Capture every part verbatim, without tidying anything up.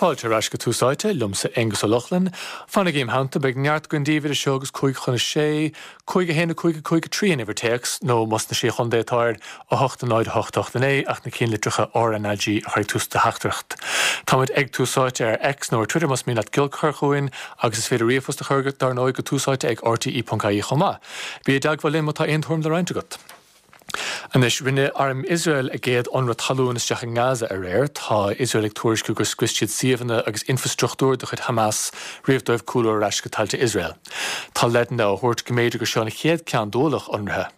Fáilte ar ais go Tús Áite, liomsa Aonghus Ó Lochlainn. Fanaigí im theannta, beidh neart againn daoibh idir seo agus cúig chun a sé, cúig a haon a cúig a cúig a trí an uimhir téacs, nó más sna Sé Chontae atá air, a hocht a náid a hocht a hocht a naoi, ach na ceannlitreacha RnaG a chur ag tús do theachtaireacht. Táimid ag Tús Áite ar X nó ar Twitter más mian leat giolc a chur chugainn, agus is féidir ríomhphost a chur dar ndóigh go túsáite ag rte.ie chomh maith. Bí i dteagmháil linn má tá aon tuairim le roinnt agat. Anois, rinne arm Iosrael a gcéad ionradh talún isteach i nGaza aréir. Tá Iosrael ag tuairisciú gur scrios siad suíomhanna agus infreastruchtúr de chuid Hamas roimh dóibh cúlú ar ais go tailte Iosrael. Tá leideanna á thabhairt go mb'fhéidir gur seo an chéad ceann d'ualach ionraithe.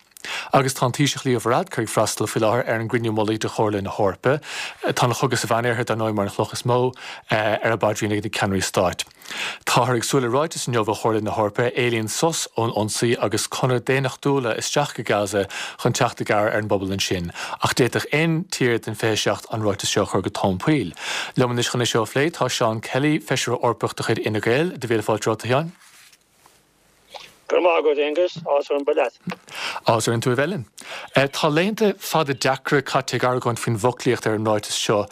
Agus tá an Taoiseach Leo Varadkar ag freastal faoi láthair ar an gcruinniú mullaigh de Chomhairle na hEorpa. Tá an chogadh sa Mheánoirthear dar ndóigh mar an chloch is mó ar a bpaidrín ag na ceannairí stáit. Táthar ag súil le ráiteas inniu ó Chomhairle na hEorpa a éilíonn sos ón ionsaí agus conair daonnachtúla isteach go Gaza chun teacht i gcabhair ar an bpobal ansin, ach d'fhéadfadh aon tír den fiche seacht an ráiteas seo a chur go tóin poill. Liom anois chun é seo a phlé tá Seán Kelly, feisire Eorpach de chuid Fhine Gael. Do mhíle fáilte romhat, a Sheáin. Go raibh maith agat, Aonghus. Áthas orm bheith leat. Áthas orainn tú a bheith linn. Tá laethanta fada deacra caite ag argóint faoin bhfoclaíocht ar an ráiteas seo.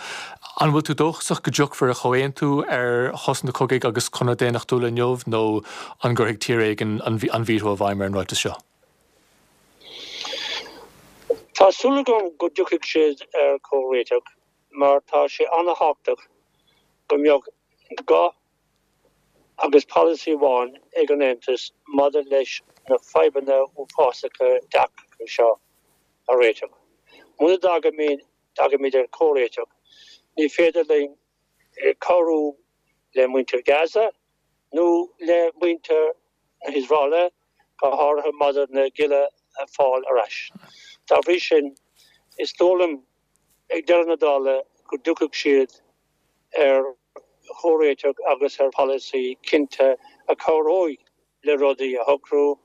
An bhfuil tú dóchasach go dtiocfar ar chomhaontú ar shosanna cogaidh agus conair daonnachtúla inniu nó an gcuirfidh tír éigin an veto i bhfeidhm ar an ráiteas seo? Tá súil agam go dtiocfaidh siad ar chomhréiteach mar tá sé an-thábhachtach go mbeadh guth agus polasaí amháin ag an Aontas maidir leis na fadhbanna uafásacha deacra seo a réiteach. Muna dtagaimid ar chomhréiteach, ní féidir linn cabhrú le muintir Gaza nó le muintir na hIosraeile, go háirithe maidir na gialla a fáil ar ais. Dá bhrí sin, is dóigh liom ag deireadh na dála go dtiocfaidh siad ar chomhréiteach agus ar pholasaí cinnte a chabhróidh le rudaí a shocrú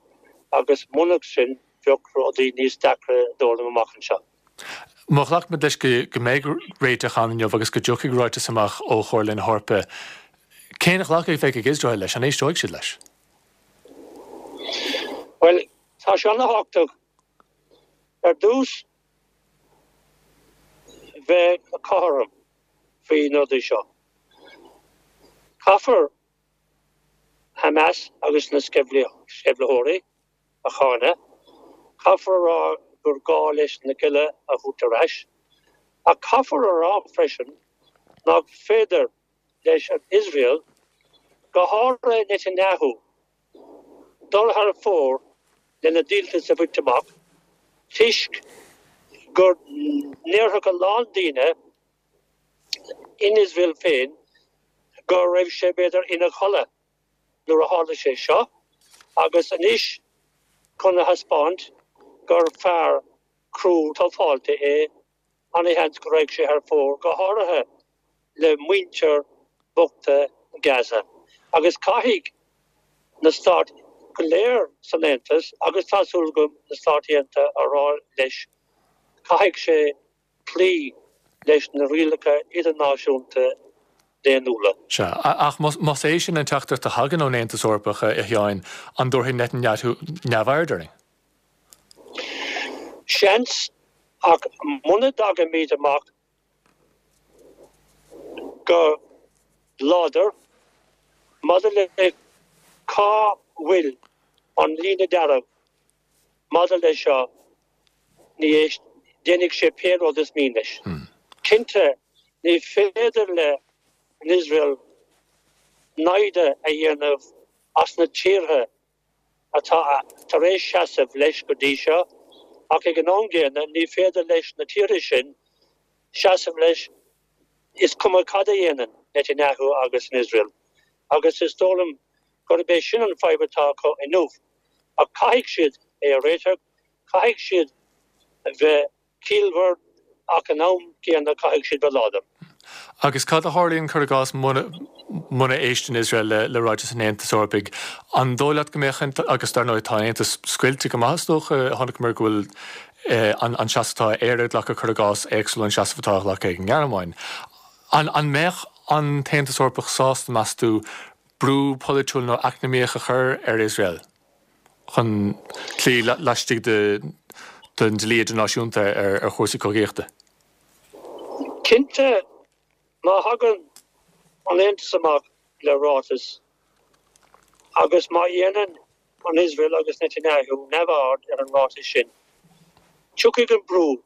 agus murach sin bheadh rudaí níos deacra dóigh liom amach anseo. Má ghlacaimid leis go mbeidh réiteach ann inniu agus go dtiocfaidh ráiteas amach ó Chomhairle na hEorpa, cén ghlacadh a bheidh ag Iosrael leis? An éisteoidh siad leis? Bhuel, tá sé an-thábhachtach ar dtús bheith cothrom faoi na rudaí seo. Caithfear Hamas agus na sceimhlitheoirí a cháineadh, caithfear a rá gur gá leis na gialla a thabhairt ar ais, ach caithfear a rá freisin nach féidir leis an Iosrael, go háirithe Netanyahu, dul thar fóir lena dhíoltas a bhaint amach toisc go ndéarfadh a lán daoine in Iosrael féin go raibh sé b'fhéidir ina chodladh nuair a tharla sé seo agus anois chun a thaispeáint gur fear crua tufáilte é an-sheans go raghadh sé thar fóir, go háirithe le muintir bochta Gaza. Agus caithfidh na stáit go léir san Aontas, agus tá súil agam na Stáit Aontaithe, a rá leis, caithfidh sé cloí leis na rialacha idirnáisiúnta daonnúla. Sea, ach más é sin an teachtaireacht a thagann ón Aontas Eorpach, a Sheáin, an dtabharfaidh Netanyahu neamhaird orainn? Seans, ach muna dtagaimid amach go láidir maidir le cá bhfuil an líne dearg maidir leis seo, ní déanfaidh sé pé rud is mian leis. Cinnte, ní féidir le n-Iosrael naimhde a dhéanamh as na tíortha atá tar éis seasamh leis go dtí seo, ach ag an am gcéanna ní féidir leis na tíortha sin seasamh leis is cuma cad a dhéanann Netanyahu agus an Iosrael. Agus is dóigh liom gurb é sin an fadhb atá acu inniu. Ach caithfidh siad é a réiteach, caithfidh siad bheith ciallmhar ach an am céanna caithfidh siad bheith láidir. Agus cad a tharlaíonn, cuir i gcás, muna éisteann Iosrael le ráiteas an Aontais Eorpaigh? An dóigh leat go mbeadh, agus dar ndóigh tá an Aontas scoilte go maith is dócha, chonaiceamar go bhfuil an seasamh atá Éire ag glacadh, cuir i gcás, éagsúil ón seasamh atá á ghlacadh ag an nGearmáin. An mbeadh an tAontas Eorpach sásta, meas tú, brú polaitiúil nó eacnamaíoch a chur ar Iosrael? chun cloí laistigh den dlí idirnáisiúnta ar chúrsaí cogaíochta. Cinnte, má thagann an Aontas amach le ráiteas agus má dhéanann an Iosrael agus Netanyahu neamhaird ar an ráiteas sin, tiocfaidh an brú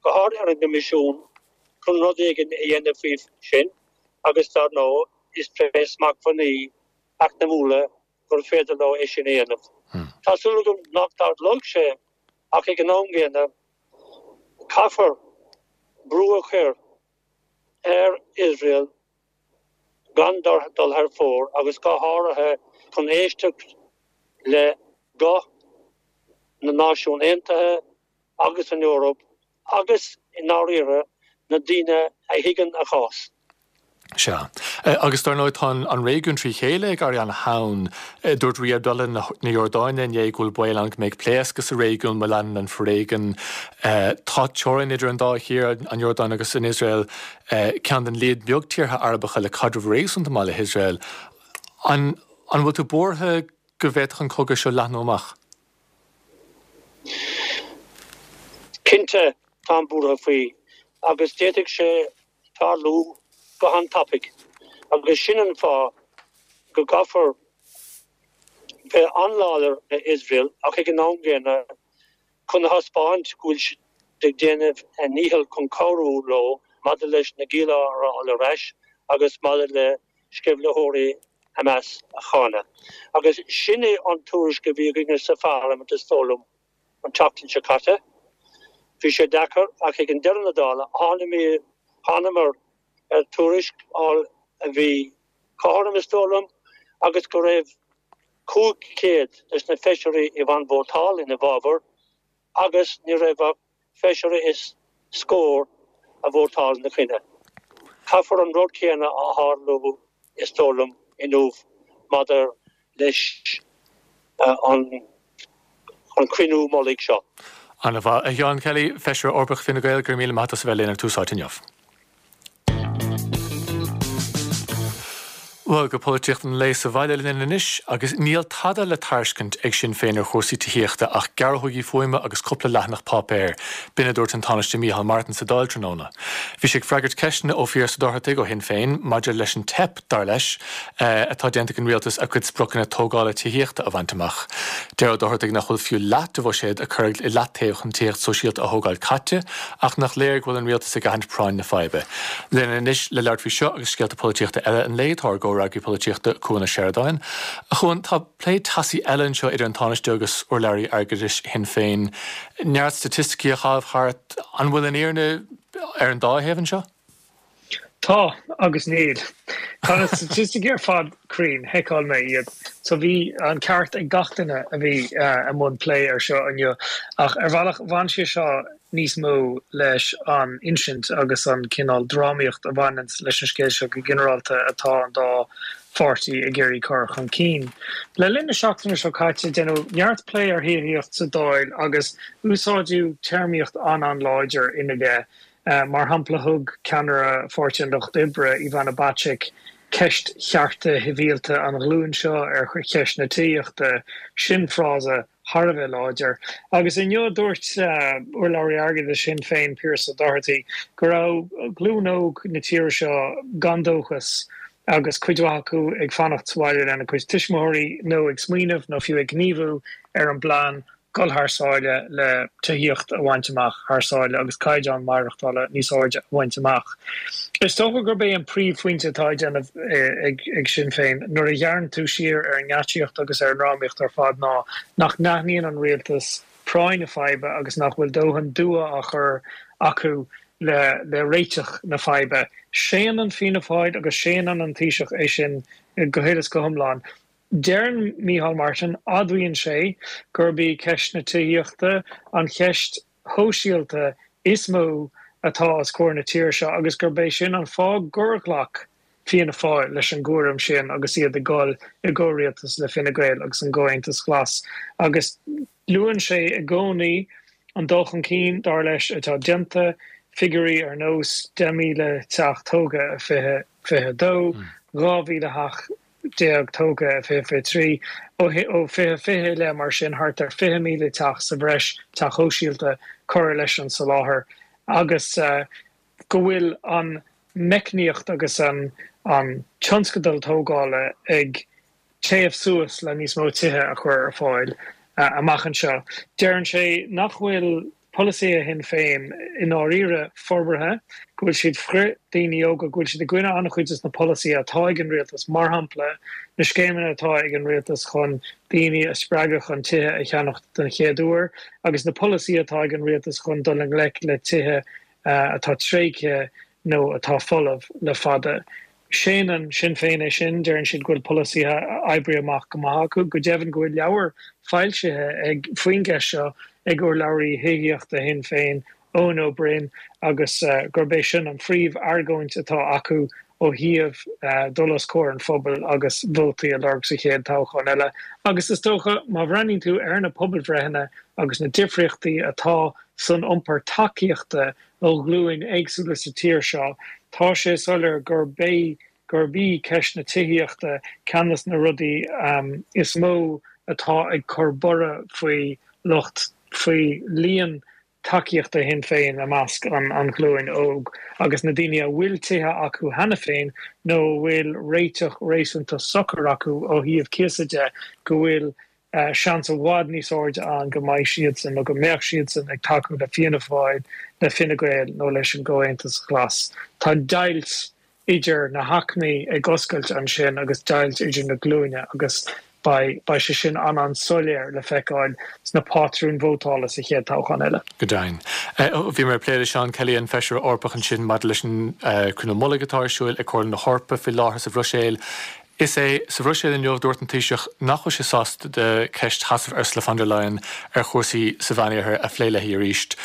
go hard ar an gCoimisiún chun rud éigin a dhéanamh faoi sin agus dar ndóigh is tré smachtbhannaí eacnamúla gur féidir leo é sin a dhéanamh. Tá súil agam nach dtarlóidh sé ach ag an am gcéanna caithfear brú a chur ar Iosrael gan dul thar fóir agus go háirithe chun éisteacht le guth na Náisiún Aontaithe agus an Eoraip agus i ndáiríre na daoine a thuigeann a chás. Sea. Agus dar ndóigh tá an réigiún trí chéile ag éirí an-teann. Dúirt Rí Abdullah na Iordáine inné go bhfuil baol ann go mbeidh pléascadh sa réigiún má leanann an foréigean. Tá teorainn idir an dá thír, an Iordáin agus an Iosrael, ceann den líon beag tíortha Arabacha le caidreamh réasúnta maith le hIosrael. An bhfuil tú buartha go bhféadfadh an cogadh seo leathnú amach? Cinnte, táim buartha faoi agus d'fhéadfadh sé tarlú go han-tapaidh agus sin an fáth go gcaithfear bheith an-láidir le Iosrael ach ag an am gcéanna chun a thaispeáint go bhfuil siad ag déanamh a ndícheall chun cabhrú leo maidir leis na gialla a fháil ar ais agus maidir le sceimhlitheoirí Hamas a cháineadh. Agus sin é an tuairisc a bhí againne sa pharlaimint is dóigh liom an tseachtain seo caite. Bhí sé deacair ach ag an deireadh na dála thánamar ar tuairisc a bhí cothrom is dóigh liom agus go raibh cúig chéad des na feisirí a bhain vótáil ina bhfabhar agus ní raibh ach feisire is scór a vótáil ina choinne. Caithfear an rud céanna a tharlú is dóigh liom inniu maidir leis an cruinniú mullaigh seo. Ana-mhaith. A Sheáin Kelly, Feisire Eorpach Fine Gael, go raibh míle maith agat as a bheith linn ar Tús Áite inniu. Bhuel, go polaitíocht an lae sa bhaile linn anois, agus níl tada le tairiscint ag Sinn Féin ar chúrsaí tithíochta ach gearrthógaí fuaime agus cúpla leathanach páipéir. B'in a dúirt an Tánaiste Micheál Martin sa Dáil tráthnóna. Bhí sé ag freagairt ceisteanna ó Phearse Ó Dochartaigh ó Shinn Féin maidir leis an teip, dar leis, atá déanta ag an rialtas a cuid spriocanna tógála tithíochta a bhaint amach. Deir Ó Dochartaigh nach bhfuil fiú leath de bhuiséad a cuireadh i leataobh chun tithíocht sóisialta a thógáil caite ach nach léir go bhfuil an rialtas ag aithint práinn na faidhbe. Linn anois le labhairt faoi seo agus scéalta polaitíochta eile an lae tá ár gcomhfhreagraí polaitíochta Cuan Ó Seireadáin. A Chuain, tá plé teasaí eile anseo idir an Tánaiste agus urlabhraí airgeadais Shinn Féin. Neart staitisticí á chaitheamh thart. An bhfuil an fhírinne ar an dá thaobh anseo? Tá agus níl. Tá na staitisticí ar fad cruinn, sheiceáil mé iad. So bhí an ceart ag gach duine a bhí i mbun plé ar seo inniu. Ach ar bhealach bhain sé seo níos mó leis an insint agus an cineál drámaíocht a bhaineanns leis an scéal seo go ginearálta atá an dá pháirtí ag iarraidh cur chun cinn. Le linn na seachtaine seo caite deineadh neart plé ar thithíocht sa Dáil agus úsáideadh téarmaíocht an-an-láidir ina leith. Mar shampla, thug ceannaire Pháirtí an Lucht Oibre, Ivana Bacik, ceist chearta shibhialta an ghlúin seo ar cheist na tithíochta. Sin frása thar a bheith láidir. Agus inniu dúirt urlabhraí airgeadais Shinn Féin, Pearse Doherty, go raibh glúin óg na tíre seo gan dóchas agus cuid mhaith acu ag fanacht sa bhaile lena gcuid tuismitheoirí nó ag smaoineamh nó fiú ag gníomhú ar an bplean dul thar sáile le tithíocht a bhaint amach thar sáile agus caighdeán maireachtála níos airde a bhaint amach. Is dócha gurb é an príomhphointe atá á dhéanamh ag Sinn Féin nuair a ghearrann tú siar ar an ngeáitsíocht agus ar an ndrámaíocht ar fad ná nach n-aithníonn an rialtas práinn na faidhbe agus nach bhfuil dóthain dua á chur acu le le réiteach na faidhbe. Séanann Fianna Fáil agus séanann an Taoiseach é sin go huile is go hiomlán. Deireann Micheál Martin, admhaíonn sé, gurb í ceist na tithíochta an cheist shóisialta is mó atá os comhair na tíre seo agus gurb é sin an fáth gur ghlac Fianna Fáil leis an gcúram sin agus iad ag dul i gcomhrialtas le Fine Gael agus an gComhaontas Glas. Agus luann sé i gcónaí an dul chun cinn, dar leis, atá déanta, figiúirí ar nós deich míle teach tógtha i fiche fiche dó, dhá mhíle theach déag tógtha i fiche fiche trí, ó fiche fiche i leith mar sin thart ar fiche míle teach sa bhreis, teach shóisialta, curtha leis an soláthar agus go bhfuil an meicníocht agus an an tionscadal tógála ag téamh suas le níos mó tithe a chur ar fáil amach anseo. Deireann sé nach bhfuil polasaithe Shinn Féin i ndáiríre forbartha, go bhfuil siad frith daoine óga, go bhfuil siad i gcoinne an-chuid de na polasaithe atá ag an rialtas, mar shampla na scéimeanna atá ag an rialtas chun daoine a spreagadh chun tithe a cheannacht den chéad uair, agus na polasaithe atá ag an rialtas chun dul i ngleic le tithe atá tréigthe nó atá folamh le fada. Séanann Sinn Féin é sin, deireann siad go bhfuil polasaithe oibrithe amach go maith acu, go deimhin go bhfuil leabhar foilsithe ag faoin gceist seo ag urlabhraí tithíochta Shinn Féin, Eoin Ó Broin, agus gurb é sin an phríomh-argóint atá acu ó thaobh dul os comhair an phobail agus vótaí a lorg sa chéad toghchán eile. Agus is dócha, má bhreathnaíonn tú ar na pobalbhreitheanna agus na difríochtaí atá san iompar tacaíochta ó ghlúin éagsúla sa tír seo, tá sé soiléir gurb é gurb í ceist na tithíochta ceann de na rudaí is mó atá ag cur borradh faoi lucht faoi líon tacaíochta Shinn Féin i measc an an ghlúin óg agus na daoine a bhfuil tithe acu cheana féin nó a bhfuil réiteach réasúnta socair acu ó thaobh cíosa de, go bhfuil seans i bhfad níos airde ann go mbeidh siadsan nó go mbeadh siadsan ag tacú le Fianna Fáil, le Fine Gael nó leis an gComhaontas Glas. Tá deighilt idir na haicmí ag oscailt ansin agus deighilt idir na glúine agus beidh beidh sé sin an-an-soiléir le feiceáil sna pátrúin vótála sa chéad toghchán eile. Go deimhin. Bhí mé ag plé le Seán Kelly, an Feisire Eorpach ansin maidir leis an cruinniú mullaigh atá ar siúl ag Comhairle na hEorpa faoi láthair sa Bhruiséil. Is é sa Bhruiséil inniu dúirt an Taoiseach nach bhfuil sé sásta de ceist sheasamh Ursula von der Leyen ar chúrsaí sa Mheánoirthear a phlé léi arís.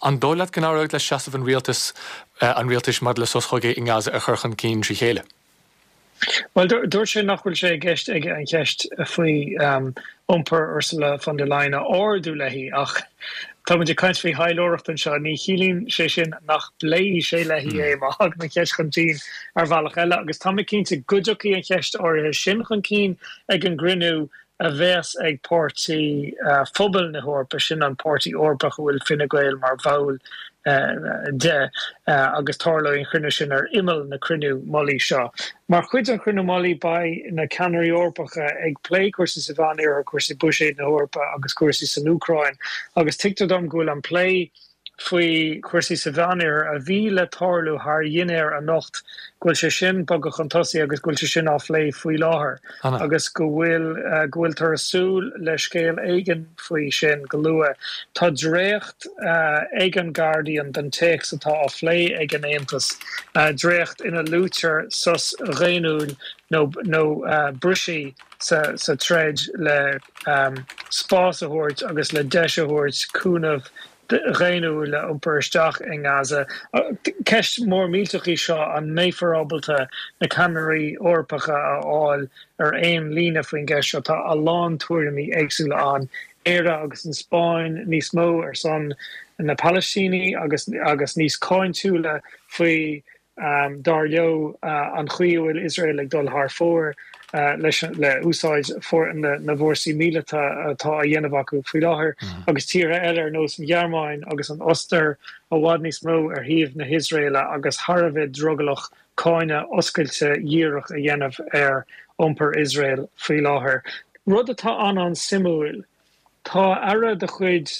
An dóigh leat go n-éireoidh le seasamh an rialtais an rialtais maidir le sos cogaidh i nGaza a chur chun cinn trí chéile? Bhuel, dúirt sé nach bhfuil sé i gceist aige an cheist faoi iompar Ursula von der Leyen a ardú léi ach tá muid ag caint faoi thaidhleoireacht anseo, ní chiallaíonn sé sin nach bpléifidh sé léi é má thagann an cheist chun cinn ar bhealach eile agus tá mé cinnte go dtiocfaidh an cheist áirithe sin chun cinn ag an gcruinniú a bheas ag Páirtí Phobail na hEorpa, sin an páirtí Eorpach a bhfuil Fine Gael mar bhall de, agus tarlóidh an cruinniú sin ar imeall na cruinniú mullaigh seo. Mar chuid den chruinniú mullaigh beidh na ceannairí Eorpacha ag plé cúrsaí sa Mheánoirthear, cúrsaí buiséid na hEorpa agus cúrsaí san Úcráin agus tuigtear dom go bhfuil an plé faoi chúrsaí sa Mheánoirthear a bhí le tarlú thar dhinnéar anocht, go bhfuil sé sin bogtha chun tosaigh agus go bhfuil sé sin á phlé faoi láthair agus go bhfuil go bhfuiltear ag súil le scéal éigin faoi sin go luath. Tá dréacht ag an Guardian den téacs atá á phlé ag an Aontas, dréacht ina luaitear sos dhaonnúil nó nó briseadh sa sa troid le spás a thabhairt agus le deis a thabhairt cúnamh dhaonnúil a iompar isteach i nGaza. Ceist mhór millteach í seo, an mbeifear ábalta na ceannairí Eorpacha a fháil ar aon líne faoin gceist seo? Tá a lán tuairimí éagsúla ann, Éire agus an Spáinn níos mó ar son na Palaistínigh agus agus níos cáintiúla faoi Dar leo, an chaoi a bhfuil Iosrael ag dul thar fóir leis le úsáid na bhfórsaí míleata atá á dhéanamh acu faoi láthair, agus tíortha eile ar nós an Ghearmáin agus an Ostair i bhfad níos mó ar thaobh na hIosraeile agus thar a bheith drogallach cáineadh oscailte dhíreach a dhéanamh ar iompar Iosrael faoi láthair. Rud atá an-an-suimiúil, tá aire de chuid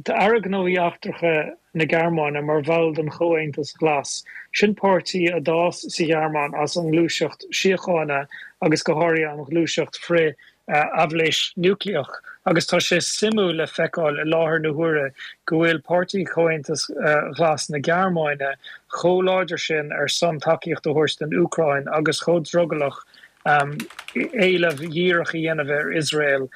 Tá Aire Gnóthaí Eachtracha na Gearmáine mar bhall den Chomhaontas Glas, sin páirtí a d'fhás sa Ghearmáin as an ngluaiseacht síochána agus go háirithe an ghluaiseacht frith-aibhléis núicléach, agus tá sé suimiúil le feiceáil i láthair na huaire go bhfuil Páirtí Chomhaontas Ghlas na Gearmáine chomh láidir sin ar son tacaíocht a thabhairt don Úcráin agus chomh drogallach éileamh dhíreach a dhéanamh ar Iosrael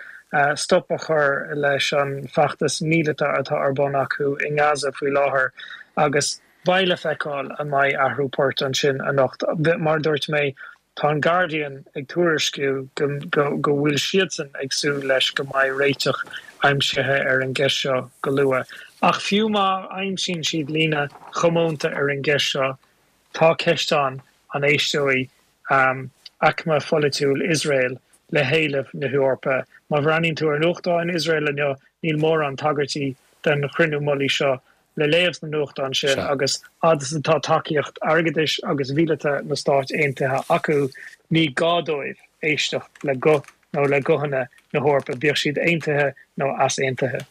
stop a chur leis an bhfeachtas míleata atá ar bun acu i nGaza faoi láthair agus beidh le feiceáil an mbeidh athrú poirt ansin anocht. Mar a dúirt mé, tá an Guardian ag tuairisciú go go bhfuil siadsan ag súil leis go mbeidh réiteach aimsithe ar an gceist seo go luath. Ach fiú má aimsíonn siad líne chomónta ar an gceist seo, tá ceist ann an éisteoidh aicme pholaitiúil Iosrael le héilimh na hEorpa. Má bhreathnaíonn tú ar nuachtáin Iosrael inniu, níl mórán tagairtí den chruinniú mullaigh seo le léamh sna nuachtáin sin agus fhad is atá tacaíocht airgeadais agus mhíleata na Stáit Aontaithe acu, ní gá dóibh éisteacht le guth nó le guthanna na hEorpa, bíodh siad aontaithe nó easaontaithe.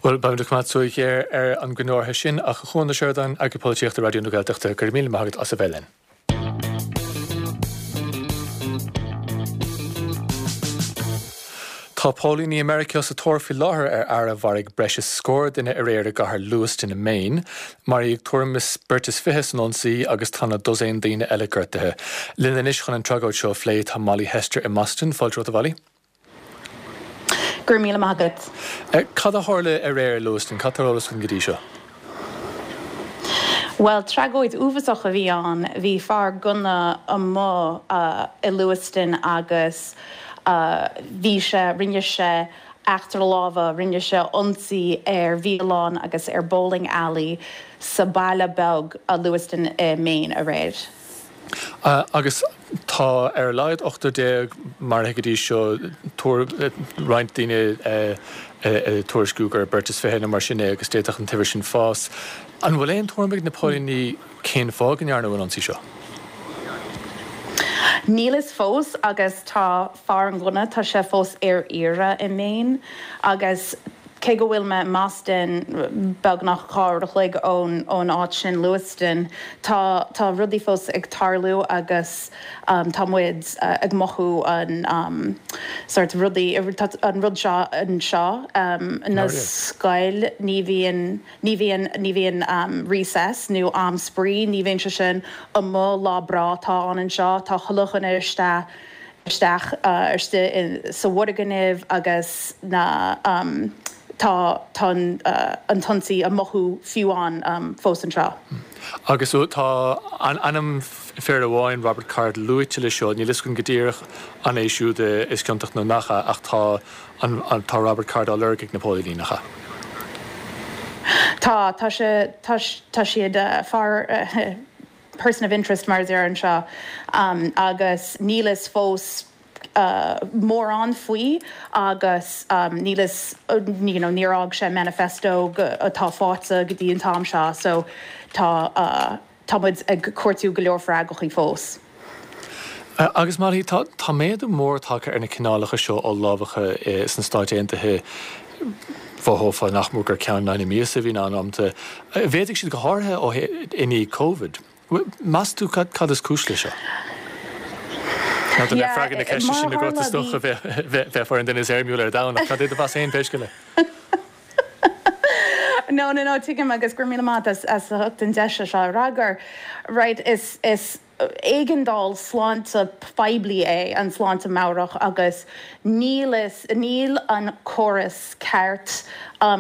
Bhuel, beimid ag coimeád súil ghéar ar an gcruinniú sin ach a Chuan Ó Seireadáin, Eagarthóir Polaitíochta Raidió na Gaeltachta, go raibh míle maith agat as a bheith linn. Tá póilíní i Meiriceá sa tóir faoi láthair ar fhear a mharaigh breis is scór duine aréir i gcathair Lewiston i Maine. Maraíodh tuairim is beirt is fiche san ionsaí agus tá na dosaen daoine eile gortaithe. Linn anois chun an tragóid seo a phlé tá Molly Hester i mBoston. Fáilte romhat a Mholly. Go raibh míle maith agat. Cad a tharla aréir i Lewiston? Cad tá ar eolas againn go dtí seo? Bhuel, tragóid uafásach a bhí ann. Bhí fear gunna amuigh i Lewiston agus bhí sé, rinne sé eachtra láimhe, rinne sé ionsaí ar bhialann agus ar bowling alley sa baile beag Lewiston i Maine aréir. Agus tá ar a laghad ochtar déag maraithe go dtí seo, roinnt daoine ag tuairisciú gur beirt is fiche nó mar sin é agus d'fhéadfadh an t-uimhir sin fás. An bhfuil aon tuairim ag na póilíní cén fáth go ndearnadh an ionsaí seo? Níl fhios fós agus tá fear an ghunna, tá sé fós ar iarraidh i Maine agus cé go bhfuil mé i mBoston, beagnach dhá uair a chloig ón ón áit sin, Lewiston, tá tá rudaí fós ag tarlú agus tá muid ag mothú an sort rudaí, tá an rud seo anseo na scoil, ní bhíonn ní bhíonn ní bhíonn recess nó am spraoi, ní bhíonn sé sin amuigh, lá breá atá ann anseo, tá chuile dhuine isteach isteach istigh sa bhfoirgneamh agus na tá tá an t-ionsaí á mothú fiú ann fós anseo. Agus tá ainm fir amháin, Robert Card, luaite le seo, níl fhios againn go díreach an é siúd is ciontach nó nach ea, ach tá an tá Robert Card á lorg ag na póilíní, nach ea? Tá, tá sé tá tá siad fear person of interest mar a deir anseo agus níl fhios fós mórán faoi agus níl fhios you know níor fhág sé manifesto atá faighte go dtí an t-am seo so tá tá muid ag cuartú go leor freagraí fós. Agus Molly, tá tá méadú mór tagtha ar na cineálacha seo oll-lámhacha sna Stáit Aontaithe. Mhothófá nach mór gur ceann in aghaidh na míosa a bhíonn ann amanta. Mhéadaigh siad go háirithe ó i ndiaidh Covid. Meas tú cad is cúis leis seo? Ná do bheith freagra na ceiste sin agat is dócha bheifeá ar an duine is éirmiúla ar domhan ach cad é do mheas féin pé scéal é? No, no, no, tuigim agus go raibh míle maith as as ucht an deis seo a fhreagairt. Right, is is éigeandáil sláinte phoiblí é an sláinte meabhrach agus níl is níl an córas ceart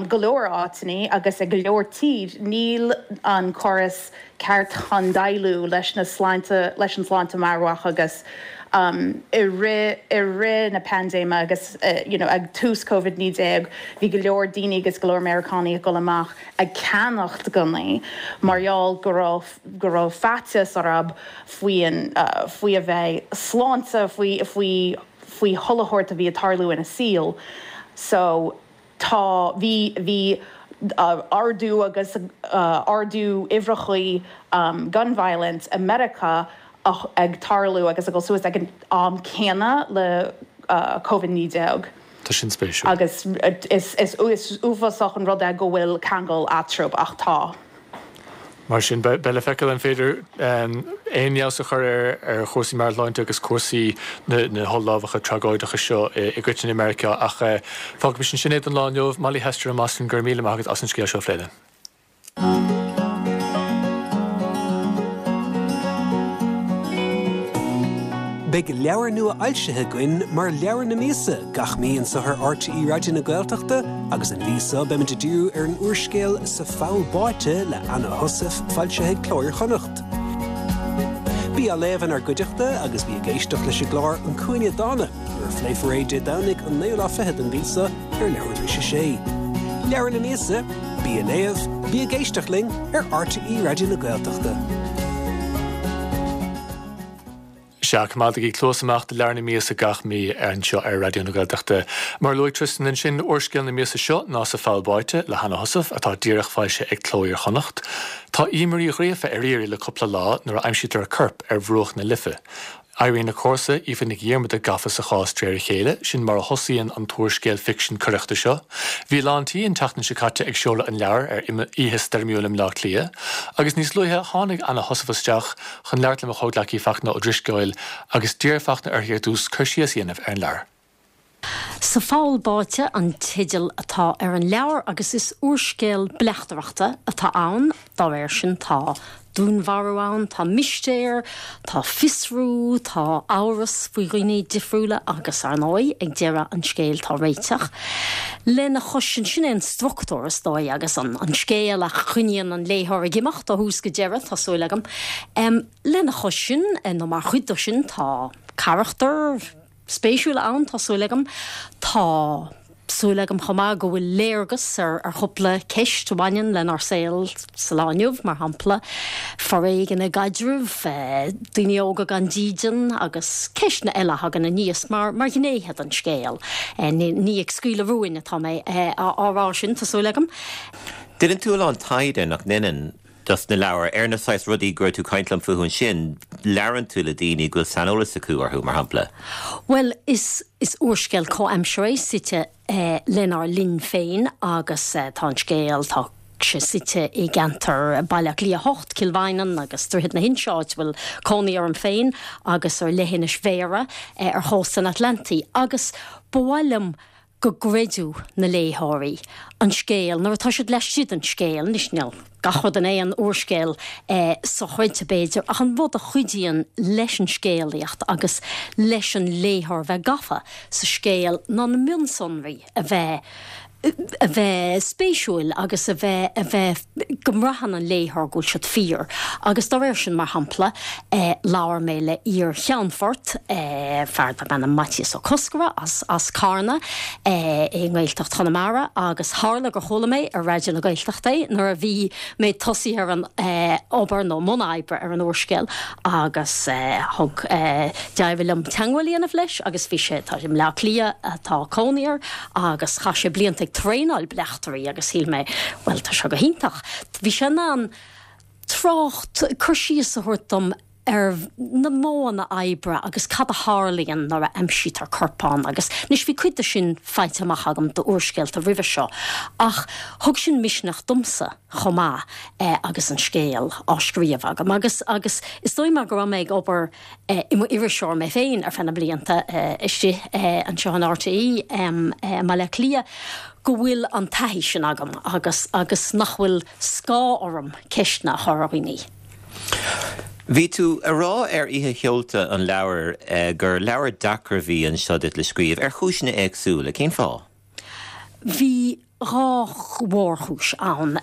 go leor áiteanna agus i go leor tír níl an córas ceart chun déileáil leis na sláinte leis an sláinte meabhrach agus i rith i rith na paindéime agus you know ag tús Covid naoi déag bhí go leor daoine agus go leor Meiriceánaigh ag dul amach ag ceannacht gunnaí mar gheall go raibh go raibh faitíos orthu faoin faoi a bheith sláinte faoi faoi faoi chuile shórt a bhí ag tarlú ina saol so tá bhí bhí ardú agus ardú uimhreachaí gun violence i Meiriceá ag tarlú agus ag dul suas ag an am céanna le Covid naoi déag. Tá sin spéisiúil. Agus is is uafásach an rud é go bhfuil ceangal eatarthu ach tá. Mar sin, beidh le feiceáil an féidir aon fheabhas a chur ar chúrsaí meabhairshláinte agus cúrsaí na holl-lámhacha tragóideacha seo i gcoitinne i Meiriceá ach fágaimis ansin é don lá inniu. Molly Hester i mBoston, go raibh míle maith agat as an scéal seo a phlé linn. Beidh leabhar nua fhoilsithe againn mar Leabhar na Míosa gach mí anseo ar RTÉ Raidió na Gaeltachta agus an mhí seo beimid ag díriú ar an úrscéal Sa Pholl Báite le Anna Heussaff foilsithe ag Cló Iar-Chonnacht. Bí á léamh inár gcuideachta agus bí ag éisteacht leis an gclár An Cúinne Dána nuair a phléifear é Dé Domhnaigh an naoú lá fichead den mhí seo ar leathuair tar éis a sé. Leabhar na Míosa, bí á léamh, bí ag éisteacht linn ar RTÉ Raidió na Gaeltachta. Sea, coimeádaigí cluas amach do leabhar na míosa gach mí anseo ar Raidió na Gaeltachta. Mar a luaigh Tristan ansin úrscéal na míosa seo ná Sa Pholl Báite le Hanna Heussaff atá díreach foilsithe ag Cló Iar-Chonnacht. Tá Eimear Uí Ghríofa ar iarraidh le cúpla lá nuair a aimsítear a corp ar bhruach na Life. Éiríonn a comharsa Aoife Nic Dhiarmada gafa sa chás de réir a chéile, sin mar a thosaíonn an t-úrscéal ficsin coireachta seo. Bhí lán tí an tseachtain seo caite ag seoladh an leabhair ar oíche stoirmiúil i mBleá Cliath, agus níos luaithe tháinig Anna Heussaff isteach chun labhairt le mo chomhghleacaí Fachtna Ó Drisceoil agus d'iarr Fachtna uirthi ar dtús cur síos a dhéanamh ar an leabhar. Sa Pholl Báite an teideal atá ar an leabhar agus is úrscéal bleachtaireachta atá ann, dá réir sin tá dúnmharú ann, tá mistéir, tá fiosrú, tá amhras faoi dhaoine difriúla agus ar ndóigh ag deireadh an scéil tá réiteach. Lena chois sin, sin é an struchtúr is dóigh agus an an scéal a choinníonn an léitheoir ag imeacht ó thús go deireadh, tá súil agam. Lena chois sin, nó mar chuid de sin, tá carachtair, spéisiúla ann, tá súil agam. Tá súil agam chomh maith go bhfuil léargas ar ar chúpla ceist a bhaineann lenár saol sa lá inniu, mar shampla, foréigean i gcaidrimh, daoine óga gan dídean agus ceisteanna eile a thagann aníos mar mar ghnéithe den scéal. Ní ag scaoileadh rúin atá mé á rá sin, tá súil agam. Déanann tú a lán taighde, nach ndéanann? dos na leabhair, ar na saghas rudaí go raibh tú ag caint liom fúthu ansin, labhrann tú le daoine go bhfuil saineolas acu orthu, mar shampla? Bhuel, is is úrscéal comhaimseartha é, suite lenár linn féin agus tá an scéal, tá sé suite i gceantar Baile Átha Cliath a hocht, Cill Mhaighneann agus Droichead na hInse, áit a bhfuil cónaí orm féin, agus ar leithinis Bhéarra ar chósta an Atlantaigh agus ba mhaith liom go gcreidfeadh na léitheoirí an scéal nuair atá siad laistigh den scéal. Anois, níl gach rud in aon úrscéal sochreidte, b'fhéidir, ach an rud a chuidíonn leis an scéalaíocht agus leis an léitheoir bheith gafa sa scéal ná na mionsonraí a bheith a bheith spéisiúil agus a bheith, a bheith, go mbraitheann an léitheoir go bhfuil siad fíor. Agus dá réir sin, mar shampla, labhair mé le iar-cheannfort, fear darb ainm Maitias Ó Cosgordha as, as Carna i nGaeltacht Chonamara agus tharla gur chuala mé ar Raidió na Gaeltachta é nuair a bhí mé tosaithe ar an obair nó mbun oibre ar an úrscéal agus thug, d'éirigh liom teagmháil a dhéanamh leis agus bhí sé, tá sé i mBleá Cliath atá cónaí air agus chaith sé blianta ag traenáil bleachtairí agus shíl mé, bhuel, tá seo go hiontach. Bhí sé in ann trácht, cur síos a thabhairt dom ar na modhanna oibre agus cad a tharlaíonn nuair a aimsítear corpán agus anois bhí cuid de sin faighte amach agam d'úrscéalta roimhe seo ach thug sin misneach domsa chomh maith agus an scéal á scríobh agam agus agus is dóigh mar go raibh mé ag obair i mo iriseoir mé féin ar feadh na blianta istigh anseo in RTÉ i mBaile Átha Cliath go bhfuil an taithí sin agam agus agus nach bhfuil scáth orm ceisteanna a chur ar dhaoine. Bhí tú a rá ar oíche sheolta an leabhair gur leabhar deacair a bhí anseo duit le scríobh, ar chúiseanna éagsúla. Cén fáth? Bhí dhá mhórchúis ann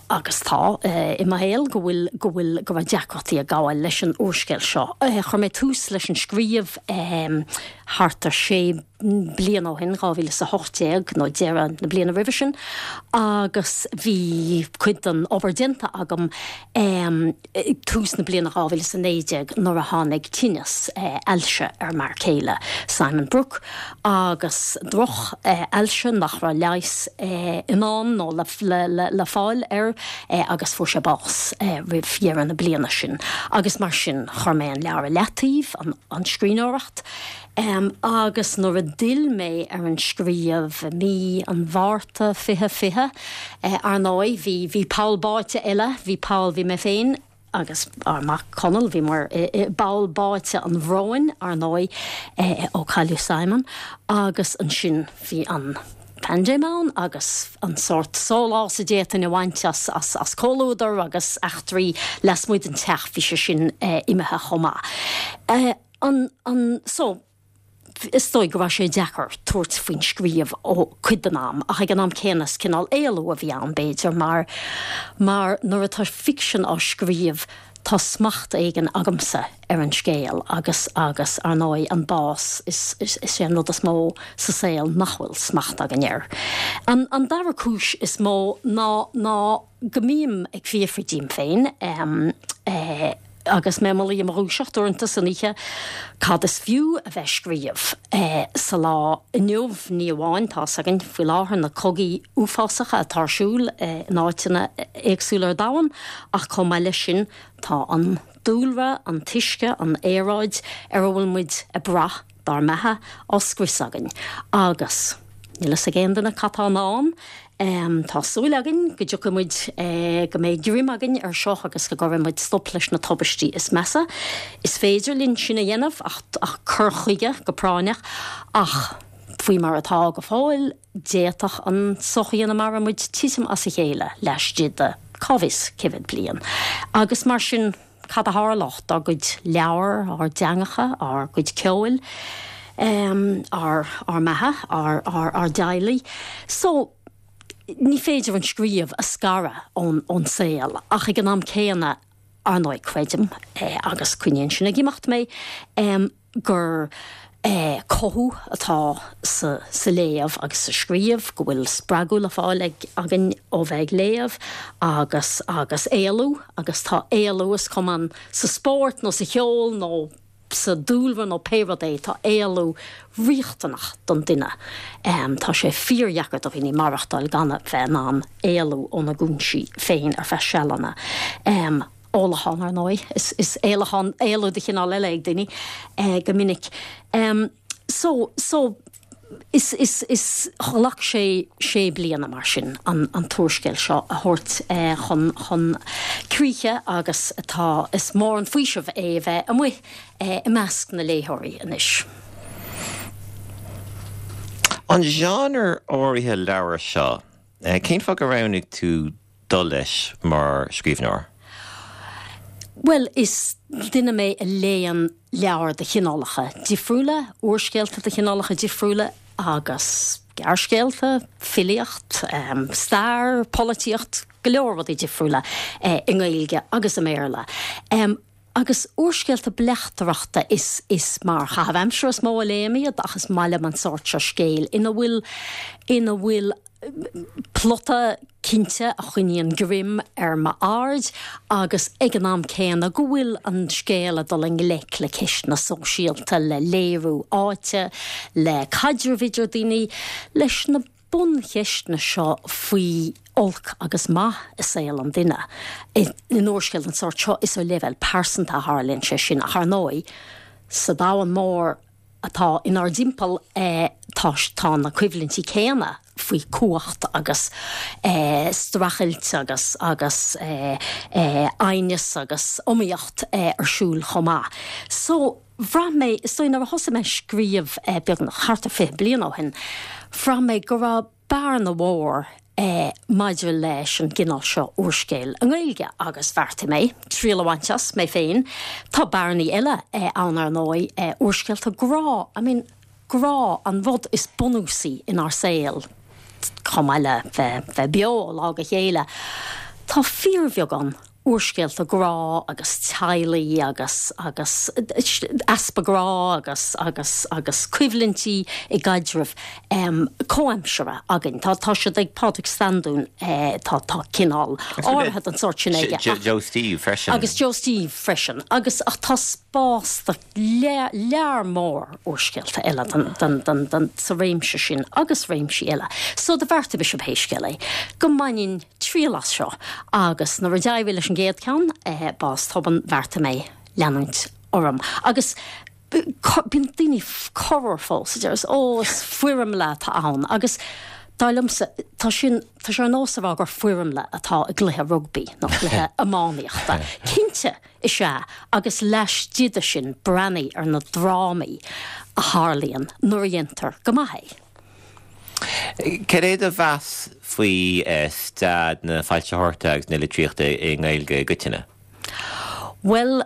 agus tá i mo shaol go bhfuil, go bhfuil, go raibh deacrachtaí ag gabháil leis an úrscéal seo. Chuir mé tús leis an scríobh thart ar sé bliana ó shin, dhá mhíle is a hocht déag nó deireadh na bliana roimhe sin, agus bhí cuid den obair déanta agam ag tús na bliana dhá mhíle is a naoi déag nuair a tháinig tinneas ailse ar m'fhear céile, Simon Brooke, agus droch ailse nach raibh leigheas i ndán nó le fáil air agus fuair sé bás roimh dheireadh na bliana sin agus mar sin chuir mé an leabhar i leataobh, an scríbhneoireacht. Agus nuair a d'fhill mé ar an scríobh i mí an Mhárta fiche fiche, ar ndóigh bhí bhí poll báite eile, bhí poll, bhí mé féin, agus ár mac Conall, bhíomar i bpoll báite an bhróin, ar ndóigh, ó cailleadh Simon, agus ansin bhí an paindéim ann agus an sórt sólás a d'fhéadfainn a bhaint as as as comhluadar agus eachtraí lasmuigh den teach, bhí sé sin imithe chomh maith. An an so. Is dóigh go raibh sé deacair tabhairt faoin scríobh ó cuid den am ach ag an am céanna is cineál éalú a bhí ann b'fhéidir mar mar nuair atá ficsean á scríobh tá smacht éigin agamsa ar an scéal agus agus ar ndóigh an bás is is is é an rud is mó sa saol nach bhfuil smacht againn air. An an dara cúis is mó ná ná go mbím ag fiafraí díom féin eh agus mé i mo luí i mo dhúiseacht uaireanta san oíche, cad is fiú a bheith scríobh sa lá inniu? Ní amháin, tá's againn faoi láthair na cogaí uafásacha atá ar siúl in áiteanna éagsúla ar domhan, ach chomh maith leis sin tá an dúlra, an t-uisce, an aeráid ar a bhfuil muid ag brath dár mbeatha á scrios againn. Agus níl fhios ag aon duine cad tá i ndán. Tá súil againn go dtiocfaidh muid, go mbeidh greim againn ar seo agus go gcuirfidh muid stop leis na tubaistí is measa. Is féidir linn sin a dhéanamh ach cur chuige go práinneach ach faoi mar atá go fóill, d'fhéadfadh an tsochaí ina maireann muid titim as a chéile laistigh de cá bhfios cé mhéad bliain. Agus mar sin, cad a tharlódh dár gcuid leabhar, ár dteangacha, ár gcuid ceoil, ár ár mbeatha, ár ár ár dteaghlaigh? So, ní féidir an scríobh a scaradh ón ón saol ach ag an am céanna, ar ndóigh, creidim, agus coinníonn sin ag imeacht mé, gur cothú atá sa sa léamh agus sa scríobh, go bhfuil spreagadh le fáil ag againn ó bheith ag léamh agus agus éalú agus tá éalú is cuma an sa spórt nó sa cheol nó sa dúlra nó pé rud é, tá éalú riachtanach don duine. Tá sé fíordheacair do dhaoine maireachtáil gan a bheith in ann éalú óna gcúinsí féin ar feadh sealanna. Ólachán, ar ndóigh, is is éalachán, éalú de chineál eile ag daoine go minic. So, so, is, is, is, ghlac sé sé bliana mar sin an an t-úrscéal seo a thabhairt chun chun críche agus tá, is mór an faoiseamh é a bheith amuigh i measc na léitheoirí anois. An genre áirithe leabhar seo, cén fáth gur roghnaigh tú dul leis mar scríbhneoir? Bhuel, is duine mé a léann leabhair de chineálacha difriúla, úrscéalta de chineálacha difriúla agus gearrscéalta, filíocht, stair, polaitíocht, go leor rudaí difriúla i nGaeilge agus i mBéarla. Agus úrscéalta bleachtaireachta, is is mar chaitheamh aimsire is mó a léim iad ach is maith liom an sórt seo scéil ina bhfuil ina bhfuil plota cinnte a choinníonn greim ar m'aird agus ag an am céanna go bhfuil an scéal ag dul i ngleic le ceisteanna sóisialta, le léiriú áite, le caidreamh idir daoine, leis na buncheisteanna seo faoi olc agus maith i saol an duine. In úrscéal den sórt seo is ar leibhéal pearsanta a tharlaíonn sé sin ach ar ndóigh sa domhan mór atá inár dtimpeall tá tá na coimhlintí céanna faoi chumhacht agus streachailt agus agus aighneas agus iomaíocht ar siúl chomh maith. So, bhraith mé, is dóigh nuair a thosaigh mé ag scríobh beagnach thart ar fiche bliain ó shin, bhraith mé go raibh bearna mhór maidir leis an gcineál seo úrscéil i nGaeilge agus bheartaigh mé triail a bhaint as mé féin. Tá bearnaí eile ann ar ndóigh, úrscéalta grá, I mean grá, an rud is bunúsaí inár saol chomh maith le bheith bheith beo ó lá go chéile. Tá fíorbheagán úrscéalta grá agus teaghlaigh agus agus easpa grá agus agus agus coimhlintí i gcaidrimh comhaimseartha againn. Tá tá siad ag Pádraig Standún, tá tá cineál áirithe den sórt sin aige. Joe Steve freisin. Agus Joe Steve freisin. Agus ach tá spás do lear mór úrscéalta eile den den den den sa réimse sin agus réimsí eile. So do bheartaigh mise pé scéal é go mbainfinn triail as seo agus nuair a d'éirigh leis an gcéad ceann, Bás Tobann, bheartaigh mé leanúint orm. Agus bíonn daoine corruair fós a deir ó is foirmle atá ann agus dar liomsa tá sin, tá sé ar nós a rá gur foirmle atá i gcluiche rugbaí nó cluiche iománaíochta. Cinnte is ea agus laistigh de sin breathnaigh ar na drámaí a tharlaíonn nuair a dhéantar go maith é. Cad é do mheas faoi staid na foilsitheoireachta agus na litríochta i nGaeilge i gcoitinne? Bhuel,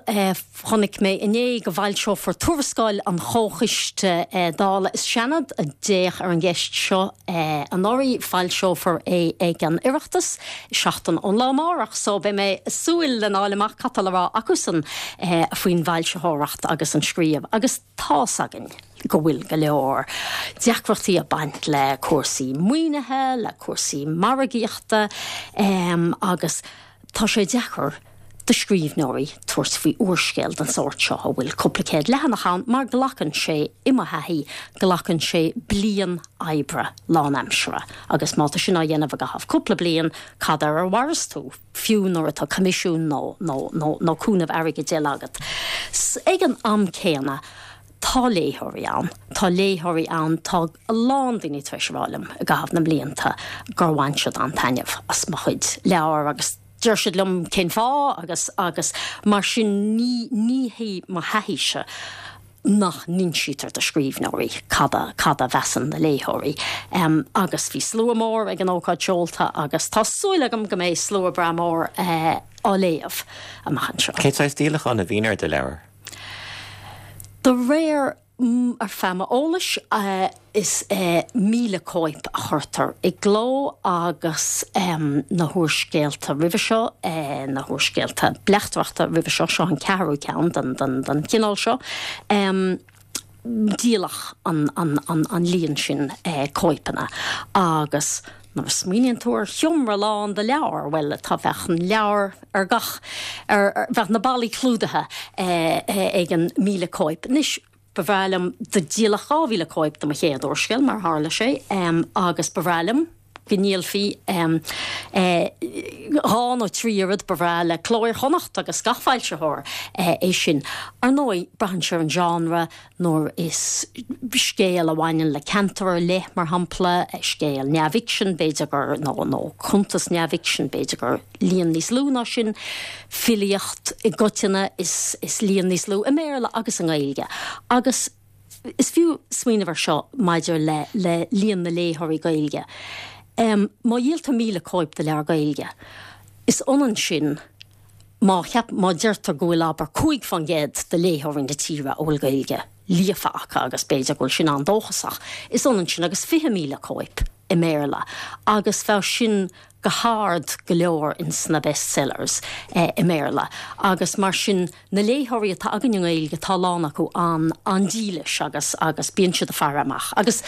chonaic mé inné go bhfoilseofar tuarascáil an Chomhchoiste Dála is Seanad a d'fhéach ar an gceist seo anuraidh. Foilseofar é ag an Oireachtas seachtain ón lá amárach so beidh mé ag súil lena fháil amach cad tá le rá acusan faoin bhfoilsitheoireacht agus an scríobh agus tá's againn go bhfuil go leor deacrachtaí ag baint le cúrsaí maoinithe, le cúrsaí margaíochta agus tá sé deacair do scríbhneoirí tabhairt faoi úrscéal den sórt seo a bhfuil cúpla céad leathanach ann mar glacann sé, i mo thaithí, glacann sé bliain oibre lánaimseartha agus má tá sin á dhéanamh i gcaitheamh cúpla bliain, cad air a mhaireas tú, fiú nuair atá coimisiún nó nó nó nó cúnamh airgid eile agat. Ag an am céanna, tá léitheoirí ann, tá léitheoirí ann, tá a lán daoine tar éis a rá liom i gcaitheamh na mblianta gur bhain siad an-taitneamh as mo chuid leabhar agus deir siad liom cén fáth agus agus mar sin ní ní hé mo thaithíse nach n-insítear do scríbhneoirí cad a cad a mheasann na léitheoirí. Um, agus bhí slua mór ag an ócáid seolta agus tá súil agam go mbeidh slua breá mór uh, á léamh amach anseo. Cén saghas díolachán a bhíonn ar do leabhar? De réir ar feadh m'eolais, is míle cóip a chuirtear i gcló agus na húrscéalta roimhe seo, na húrscéalta bleachtaireachta roimhe seo, seo an ceathrú ceann den chineál seo, díoladh an líon sin cóipeanna agus nuair a smaoiníonn tú ar sheomra lán de leabhair, bhuel, tá, bheadh an leabhar ar gach, ar, bheadh na ballaí clúdaithe ag an míle cóip. Anois, ba bhreá liom, do díoladh dhá mhíle cóip de mo chéad úrscéal, mar a tharla sé, agus ba bhreá liom go ndíolfaí dhá nó trí oiread, ba bhreá le Cló Iar-Chonnacht agus gach foilsitheoir é sin. Ar ndóigh, braitheann sé ar an genre, nuair is scéal a bhaineann le ceantar ar leith, mar shampla, scéal neamhfhicsin, b'fhéidir gur, nó, nó cuntas neamhfhicsin, b'fhéidir gur líon níos lú ná sin, filíocht i gcoitinne, is, is líon níos lú i mBéarla agus i nGaeilge. Agus is fiú smaoineamh air seo maidir le, le líon na léitheoirí Gaeilge. Má dhíoltar míle cóip de leabhar Gaeilge, is ionann sin, má cheap, má deirtear go bhfuil, abair, cúig faoin gcéad de léitheoirí na tíre a bhfuil Gaeilge líofa acu, agus b'fhéidir go bhfuil sin an-dóchasach, is ionann sin agus fiche míle cóip i mBéarla, agus bheadh sin go hard go leor ins na bestsellers i mBéarla. Agus mar sin, na léitheoirí atá againn i nGaeilge, tá a lán acu an-dílis agus, agus bíonn siad ag faire amach. Agus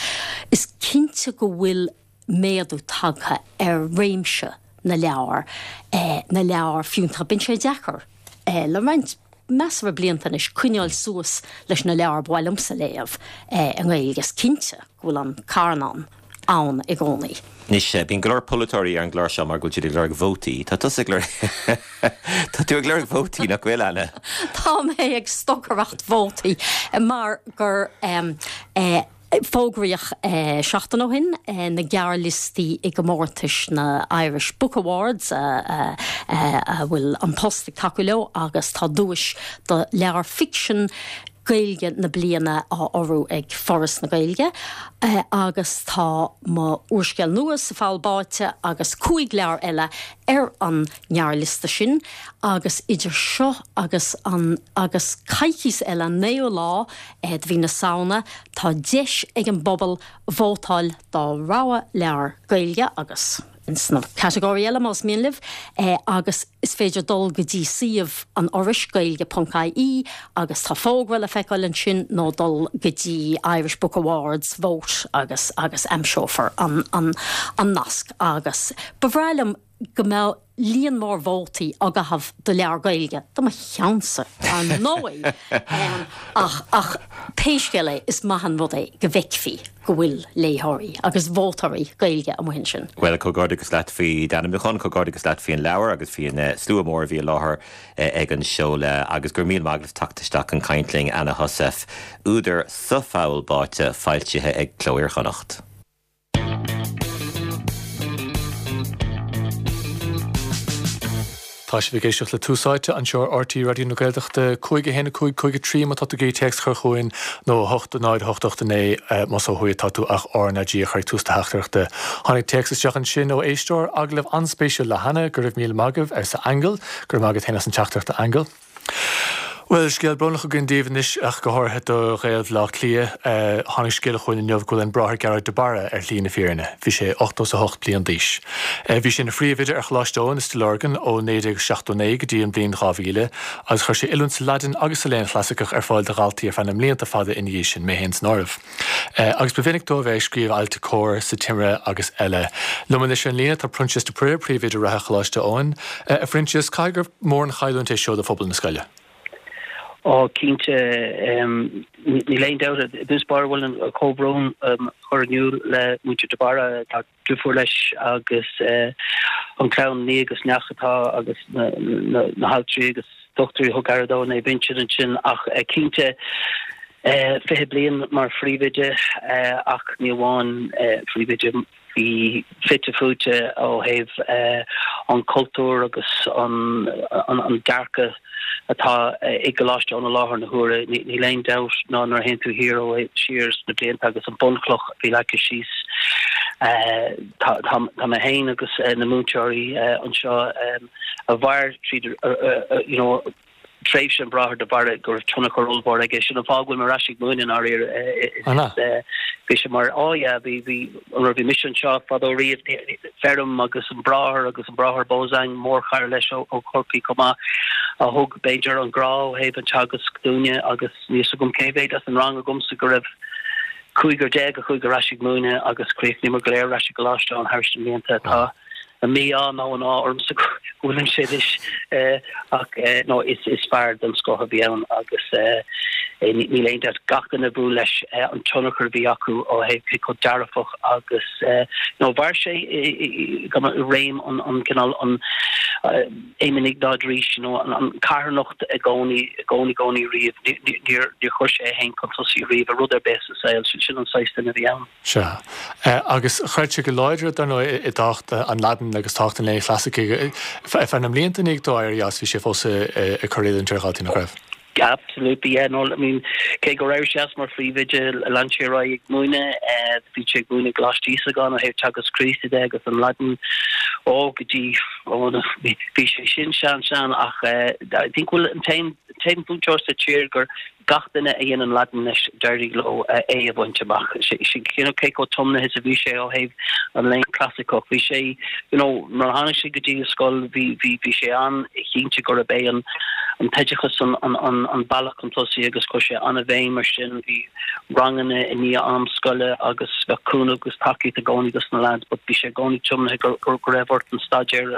is cinnte go bhfuil méadú tagtha ar réimse na leabhar, na leabhar fiúntach. Bíonn sé deacair le roinnt measartha blianta anois coinneáil suas leis na leabhair ba mhaith liomsa léamh i nGaeilge. Is cinnte go bhfuil an carnán ann i gcónaí. Anois, bíonn go leor polaiteoirí ar an gclár seo mar go bhfuil siad ag lorg vótaí. Tá tusa ag lorg Tá tú ag lorg vótaí, nach bhfuil, Anna? Tá mé ag stocaireacht vótaí mar gur Fógraíodh seachtain ó shin na gearrliostaí i gcomórtais na Irish Book Awards a bhfuil An Post ag tacú leo agus tá duais do leabhar ficsin Gaeilge na bliana á urrú ag Foras na Gaeilge agus tá mo úrscéal nua Sa Pholl Báite agus cúig leabhar eile ar an ngearrliosta sin agus idir seo agus an agus coicís eile, an naoú lá de mhí na Samhna, tá deis ag an bpobal vótáil dá rogha leabhar Gaeilge agus sna catagóirí eile más mian libh agus is féidir dul go dtí suíomh an Fhorais, gaeilge ponc ie, agus tá fógra le feiceáil ansin nó dul go dtí Irish Book Awards vote agus agus aimseofar an an an nasc agus ba bhreá liom go mbeadh líon mór vótaí á gcaitheamh do leabhar Gaeilge, do mo cheannsa, ar ndóigh! Ach, ach pé scéal é, is maith an rud é go bhfeicfí go bhfuil léitheoirí agus vótóirí Gaeilge amuigh ansin. Bhuel, comhghairdeachas leat faoi d'ainmniúchán, comhghairdeachas leat faoin leabhar agus faoin slua mór a bhí i láthair ag an seoladh agus go raibh míle maith agat as teacht isteach chun caint linn, Anna Heussaff, údar Sa Pholl Báite, foilsithe ag Cló Iar-Chonnacht. Tá sibh ag éisteacht le Tús Áite anseo ar RTÉ Raidió na Gaeltachta, cúig a haon a cúig cúig a trí má tá tú ag iarraidh téacs a chur chugainn nó a hocht a náid a hocht ocht a naoi más ó thuaidh atá tú ach RnaG a chur ag tús do theachtaireachta. Tháinig téacs isteach ansin ó éisteoir, agallamh an-spéisiúil le hAnna, go raibh míle maith agaibh, arsa Aingeal. Go raibh maith agat féin as an teachtaireacht a Aingil. Bhuel, scéal brónach againn daoibh anois ach go háirithe do Ghaeil Bhaile Átha Cliath. Tháinig scéala chugainn inniu go bhfuil an Bráthair Gearóid de Barra ar shlí na fírinne. Bhí sé ochtó is a hocht bliain d'aois. Bhí sé ina phríomhoide ar Choláiste Eoin i Stigh Lorgan ó naoi déag seachtó naoi go dtí an bhliain dhá mhíle agus chuir sé oiliúint sa Laidin agus sa Léann Chlasaiceach ar fáil do dhaltaí ar feadh na mblianta fada ina dhiaidh sin, mé féin san áireamh. Agus ba mhinic dó a bheith ag scríobh ailt i Comhar, sa Timire agus eile. Liom anois ar an líne tá Proinsias de Paor, príomhoide reatha Choláiste Eoin. A Phroinsias, caithfidh gur mór an chailliúint é seo do phobal na scoile? Ó, cinnte, níl aon dabht. I dtús báire bhuel an comhbhrón a chur in iúl le muintir de Barra, tá deirfiúr leis agus an chlann nia agus neach atá agus na haltraí agus dochtúirí a thug aire dó Naomh Uinseann ansin ach cinnte fiche bliain mar phríomhoide ach ní amháin phríomhoide bhí fite fuaite ó thaobh an cultúr agus an an dearcadh atá i gColáiste Eoin i láthair na huaire. Níl aon dabht ná nuair a théann tú thiar ó siar sna blianta agus an bunchloch a bhí leagtha síos tá tá mé féin agus na múinteoirí anseo a mhair tríd you know tréimhse an Bráthair de Barra go raibh tionchar ollmhór aige. Sin an fáth go bhfuil mé ar ais ag múineadh i ndáiríre. Bhí sé mar oh yeah bhí bhí nuair a bhí mise anseo fadó riamh feirm agus an Bráthair agus an Bráthair Bozang mórchara leis ó ó Chorcaigh chomh maith a thug b'fhéidir an grá ó thaobh an teagasc dúinne agus níl fhios agam cé mhéad as an rang agamsa go raibh cúigear déag a chuaigh ar ais ag múineadh agus chríochnaíomar go léir ar ais i gColáiste Eoin thar na mblianta. Tá an mí-ádh nó an ádh ormsa go bhfuilimse anois ach no is is fear den scoth a bhí ann agus níl aon dabht gach duine a bhuail leis an tionchar a bhí acu ó thaobh cé chomh dearfach agus no mhair sé i réim an an cineál an Éamonn Iognáid Rís you know an an carthanacht i gcónaí i gcónaí gcónaí riamh níor níor chuir sé é féin chun tosaigh riamh i rud ar bith sa saol sin sin an saghas duine a bhí ann. Sea. Agus chreid sé go láidir, dar ndóigh, i dtábhacht an Laidin agus tábhacht an léinn chlasaicigh. Ar feadh na mblianta i ndiaidh dó éirí as, bhí sé fós ag cur oiliúint ar dhaltaí, nach raibh? Absolutely, yeah. No, I mean, cé gur éirigh sé as mar phríomhoide, lean sé ar aghaidh ag múineadh. Bhí sé ag múineadh i gColáiste Íosagáin ó thaobh Teagasc Críostaí de agus an Laidin ó go dtí, ó, bhí sé sin sean sean ach I think bhfuil an t-aon t-aon mhúinteoir sa tír gur gach duine a dhéanann Laidin leis d'éirigh leo é a bhaint amach. You know, cé chomh tiomnaithe is a bhí sé ó thaobh an léann clasaiceach. Bhí sé, you know, nuair a tháinig sé go dtí an scoil bhí bhí bhí sé an-chinnte gurb é an an t-oideachas an an an an bealach chun tosaigh agus chuir sé an-bhéim ar sin. Bhí ranganna i ndiaidh am scoile agus bheadh cúnamh agus tacaíocht i gcónaí dos na lads but bhí sé i gcónaí tiomnaithe go go go raibh ort an staidéar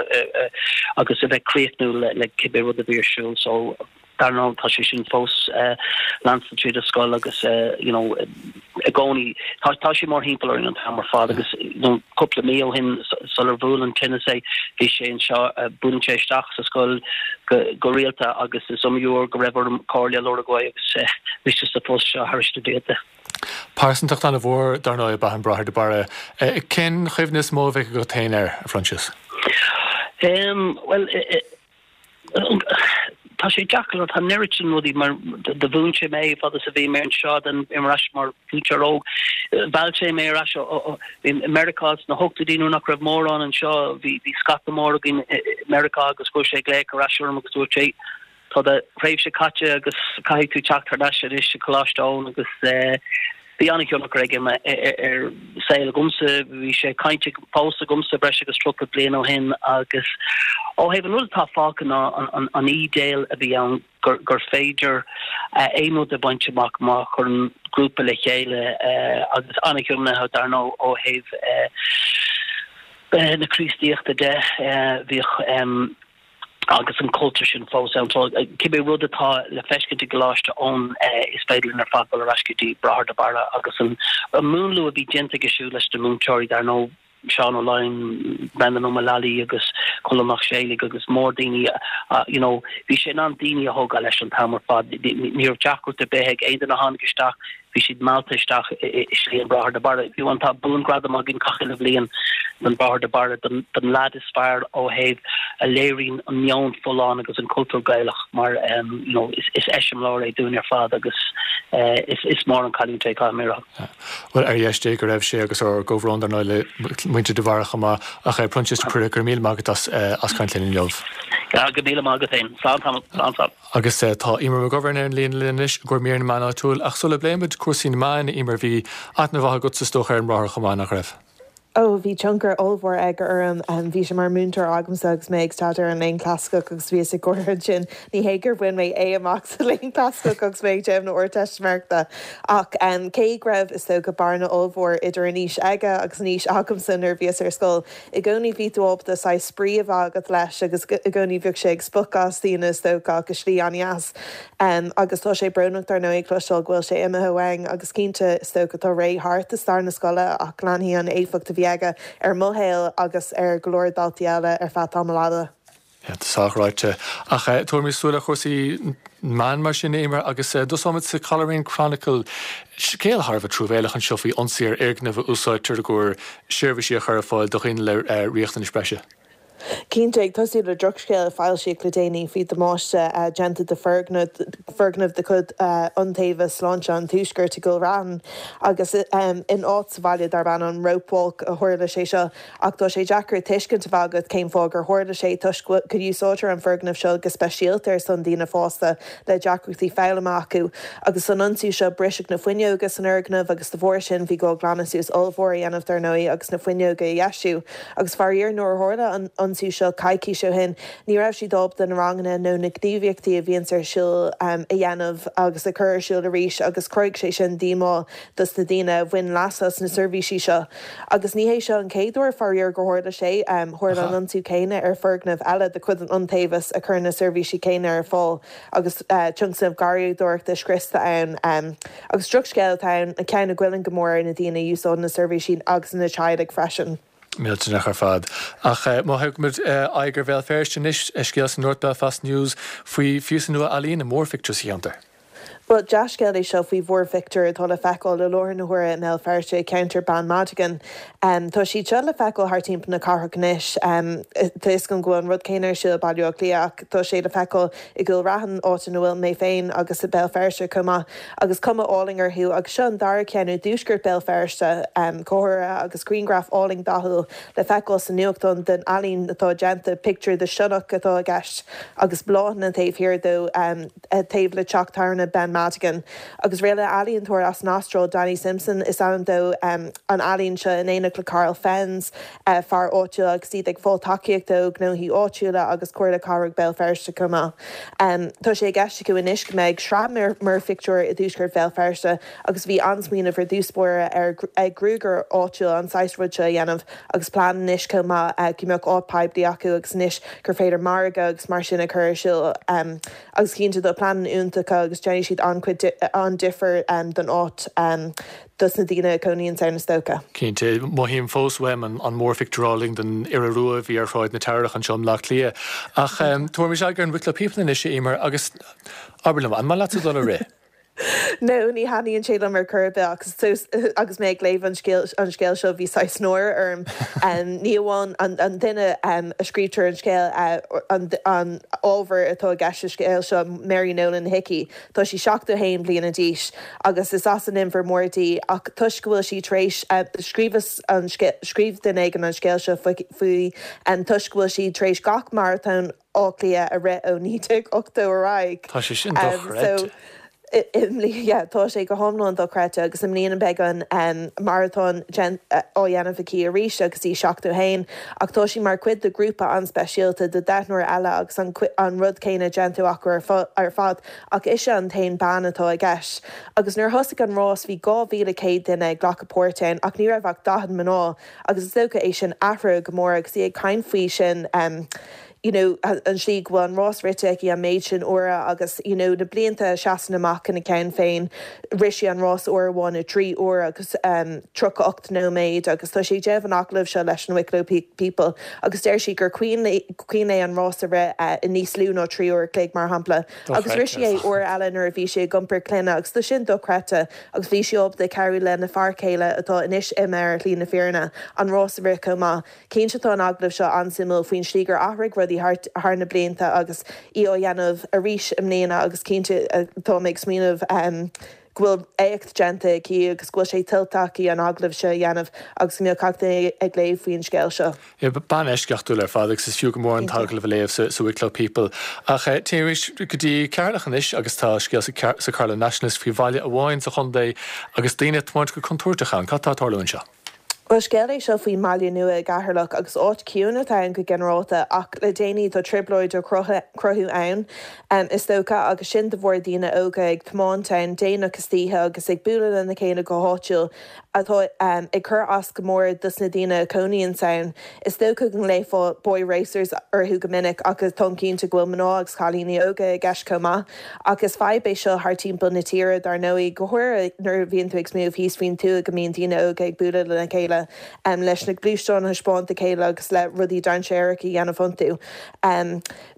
agus a bheith críochnúil le le cibé rud a bhí ar siúl. So dar ndóigh tá sé sin fós leanstan tríd an scoil agus you know i gcónaí tá tá sé mórthimpeall orainn an t-am ar fad agus you know cúpla mí ó shin sular bhuail an tinneas é bhí sé anseo buaileann sé isteach sa scoil go go rialta agus is iomaí uair go raibh orm comhairle a lorg uaidh agus mise sa phost seo thar na blianta. Pearsantacht an-mhór dar ndóigh ab ea an Bráthair de Barra. Cén chuimhne is mó a bheidh agat féin air, a Phroinsias? Bhuel, tá sé deacair, tá an oiread sin rudaí mar do mhúin sé mé fad is a bhí mé anseo then bhí mé ar ais mar mhúinteoir óg. Mheall sé mé ar ais i Meiriceá sna hochtóidí nuair nach raibh mórán anseo, bhí bhí scata mór againn i Meiriceá agus chuir sé glaoch ar ais orm agus dúirt sé tá do thréimhse caite agus caithfidh tú teacht thar n-ais anois i Coláiste Eoin agus bhí an-thionchar aige ar saol agamsa. Bhí sé ag caint fós agamsa breis agus tríocha bliain ó shin agus ó thaobh an rud atá fágtha ná an ídéal a bhí ann gur gur féidir aon rud a bhaint amach má chuireann grúpa le chéile agus an-thiomnaithe dar ndóigh ó thaobh na Críostaíochta de. Bhíodh. agus an cultúr sin fós ann. So cibé rud atá le feiscint i gColáiste Eoin is féidir linn ar fad dul ar ais go dtí Bráthair de Barra agus an múnlú a bhí déanta aige siúd leis na múinteoirí dar ndóigh Seán Ó Laighin, Brendan Ó Maolalaí agus Colm Mac Séalaigh agus mór-daoine you know bhí sé in ann daoine a thógáil leis an t-am ar fad. Ní raibh deacracht ar bith ag aon duine a tháinig isteach Bhí siad meallta isteach i slí an Bráthair de Barra. Fiú amháin tá buangradam againn gach uile bhliain don Bráthair de Barra, don don leaid is fearr ó thaobh a léiríonn an meon folláin agus an cultúr Gaelach mar you know is is eiseamláir é dúinn ar fad agus is is mór an cailliúint é, caithfidh mé a rá. Bhuel, ar dheis Dé go raibh sé agus ár gcomhbhrón dar ndóigh le muintir de Bharra chomh maith. Ach Proinsias de Paor, go raibh míle maith agat as as caint linn inniu. Go raibh míle maith agat féin. Slán tamall, slán slán. Agus tá Eimear McGovern ar an líne linn anois i gcomhair mír na meán áitiúil, ach sula bpléimid cúrsaí na meán, Eimear, bhí aithne mhaith agatsa is dócha ar an mBráthair chomh maith, nach raibh? Ó, bhí tionchar ollmhór aige orm. Bhí sé mar mhúinteoir agamsa agus mé ag staidéar an Léann Clasaiceach agus bhíos ag gáire ansin. Ní hé gur bhain mé A amach sa Léann Clasaiceach agus mé ag déanamh na Ardteistiméireachta ach cé go raibh, is dócha, bearna ollmhór idir an aois aige agus an aois agamsa nuair a bhíos ar scoil, i gcónaí bhí tú ábalta saghas spraoi a bheith agat leis agus i gcónaí bhíodh sé ag spochadh as daoine is dócha ach i slí an-dheas. Agus tá sé brónach dar ndóigh cloisteáil go bhfuil sé imithe uainn agus cinnte is dócha tá ré thart i stair na scoile ach leanfaidh an éifeacht a bhí aige ar mo shaol agus ar go leor daltaí eile ar feadh tamall fhada. Tá sách ráite. Ach tabharfaimid súil ar chúrsaí meán mar sin, Eimear, agus tosóimid sa Coleraine Chronicle. Scéal thar a bheith truamhéalach anseo faoi ionsaí ar fhoirgneamh a úsáidtear i gcomhair seirbhísí a chur ar fáil do dhaoine le riachtanais breise. Cinnte, ag tosú le drochscéal a foilsíodh le déanaí faoi damáiste déanta do foirgneamh de chuid Iontaobhas Sláinte an Tuaiscirt i gCúil Raithin agus in áit sa bhaile darb ainm an Ropewalk a tharla sé seo. Ach tá sé deacair tuiscint a bheith agat cén fáth gur tharla sé toisc go úsáidtear an foirgneamh seo go speisialta ar son daoine fásta le deacrachtaí foghlama acu. Agus san ionsaí seo briseadh na fuinneoga san fhoirgneamh agus de bharr sin bhí gá glanadh suas ollmhór a dhéanamh dar ndóigh agus na fuinneoga a dheisiú. Agus faraor nuair a tharla an ionsaí seo coicís ó shin ní raibh siad ábalta na ranganna nó na gníomhaíochtaí a bhíonns ar siúl a dhéanamh agus a chur ar siúl arís agus chruthaigh sé sin díomá dos na daoine a bhain leas as na seirbhísí seo. Agus ní hé seo an chéad uair faraor gur tharla sé, tharla an ionsaí céanna ar foirgneamh eile de chuid an Iontaobhais a chuireann na seirbhísí céanna ar fáil agus tionscnamh garraíodóireachta scriosta ann. Agus drochscéal atá ann, ceann a ghoilleann go mór ar na daoine a úsáideann na seirbhísí agus na teaghlaigh freisin. Millteanach ar fad. Ach má thugaimid aghaidh ar Bhéal Feirste anois, scéal sa North Belfast News faoi phíosa nua ealaíne, múrphictiúr sa cheantar. Bhuel, dea-scéal é seo faoi mhúrphictiúr atá le feiceáil i láthair na huaire i mBéal Feirste i gceantar Ben Madigan. Tá siad seo le feiceáil thart timpeall na cathrach anois. Tá fhios agam go bhfuil an rud céanna ar siúl i Baile Átha Cliath ach tá sé le feiceáil i gCúil Raithin, áit ina bhfuil mé féin, agus i Béal Feirste chomh maith. Agus cuma álainn orthu. Agus seo an dara ceann i dtuaisceart Béal Feirste, go háirithe, agus grianghraf álainn dathúil le feiceáil sa nuachtán den ealaín atá déanta, pictiúr de sionnach atá i gceist agus bláthanna taobh thiar dó. taobh le teach tábhairne Ben Madigan. Agus rinne ealaíontóir as an Astráil, Danny Simpson is ainm dó, an ealaín seo in éineacht le Karl Fenz, fear áitiúil agus iad ag fáil tacaíochta ó ghnóthaí áitiúla agus Comhairle Cathrach Bhéal Feirste chomh maith. Tá sé i gceist acu anois go mbeidh sraith múrphictiúr i dtuaisceart Bhéal Feirste agus bhí an-smaoineamh ar dtús báire ag gruagaire áitiúil an saghas rud seo a dhéanamh agus plean anois chomh maith go mbeadh áit poiblí acu agus anois gur féidir margadh agus mar sin a chur ar siúl. Agus cinnte tá pleananna iontacha agus déanfaidh siad an-chuid an-difear don áit dos na daoine a chónaíonns ann is dócha. Cinnte. Mothaím fós uaim an múrphictiúr álainn den iora rua a bhí ar Shráid na Teamhrach anseo i mBleá Cliath. Ach tabharfaimis aghaidh ar an Wicklow People anois, a Eimear, agus abair liom, an maith leatsa dul ag rith? No, ní thaitníonn sé liom ar chor ar bith agus agus mé ag léamh an scéil an scéil seo bhí saghas náire orm. Ní amháin an an duine a scríobhtar an scéal an an ábhar atá i gceist sa scéal seo, Mary Nolan Hickey, tá sí seachtó haon bliana d'aois agus is as an Inbhear Mór di ach toisc go bhfuil sí tar éis scríobh an scríobh duine éigin an scéal seo faoi toisc go bhfuil sí tar éis gach maratón Átha Cliath a rith ó naoi déag ochtó ar aghaidh. Tá sé sin dochreidte. I mbliana, yeah, tá sé go hiomlán dochreidte agus i mbliana beidh an maratón á dhéanamh aici arís agus í seachtó haon ach tá sí mar chuid de ghrúpa an-speisialta de deichniúr eile agus an an rud céanna déanta acu ar fad ach ise an t-aon bean atá i gceist. Agus nuair a thosaigh an rás bhí dhá mhíle céad duine ag glacadh páirt ann ach ní raibh ach daichead mná agus is dócha é sin athraithe go mór agus í ag caint faoi sin you know an tslí go bhfuil an rás rite aici an méid sin uaire agus you know na blianta a seasann amach ina ceann féin rith sí an rás uair amháin i dtrí uair agus um tríocha ocht nóiméad agus tá sí ag déanamh an agallaimh seo leis an Wicklow People agus deir sí gur cuimhin léi an rás a rith uh, i níos lú ná trí uair a chloig mar shampla agus rith sí é uair eile nuair a bhí sí ag iompar clainne agus tá sin dochreidte agus bhí sí ábalta cabhrú lena fear céile atá anois imithe ar shlí na fírinne an rás a rith chomh maith. Cinnte tá an agallamh seo an-suimiúil faoin slí gur athraigh rudaí thart thar na blianta agus í á dhéanamh arís i mbliana agus cinnte tá mé ag smaoineamh go bhfuil éacht déanta aici agus go bhfuil sé tuillte aici an agallamh seo a dhéanamh agus go mbeadh gach duine ag léamh faoin scéal seo. Bean eisceachtúil ar fad agus is fiú go mór an t-agallamh a léamh sa Wicklow People. Ach téim arís go dtí Ceatharlach anois agus tá scéal sa Carlow Nationalist faoi bhaile amháin sa chontae agus daoine ag tiomáint go contúirteach ann. Cad tá ag tarlú anseo? Bhuel, scéal é seo faoin mBaile Nua i gCeatharlach agus áit ciúin atá ann go ginearálta ach le déanaí tá trioblóid á cruthú ann, is dócha, agus sin de bharr daoine óga ag tiomáint ann déanach istoíche agus ag bualadh lena chéile go háitiúil atá ag cur as go mór dos na daoine a chónaíonns ann. Is dócha go nglaofá boy racers orthu go minic ach táim cinnte go bhfuil mná agus cailíní óga i gceist chomh maith. Ach is fadhb é seo thar timpeall na tíre dar ndóigh, go háirithe nuair a bhíonn tú ag smaoineamh thíos faoin tuath go mbíonn daoine óga ag bualadh lena chéile leis na gluaisteáin a thaispeáint dá chéile agus le rudaí dainséaracha a dhéanamh iontu.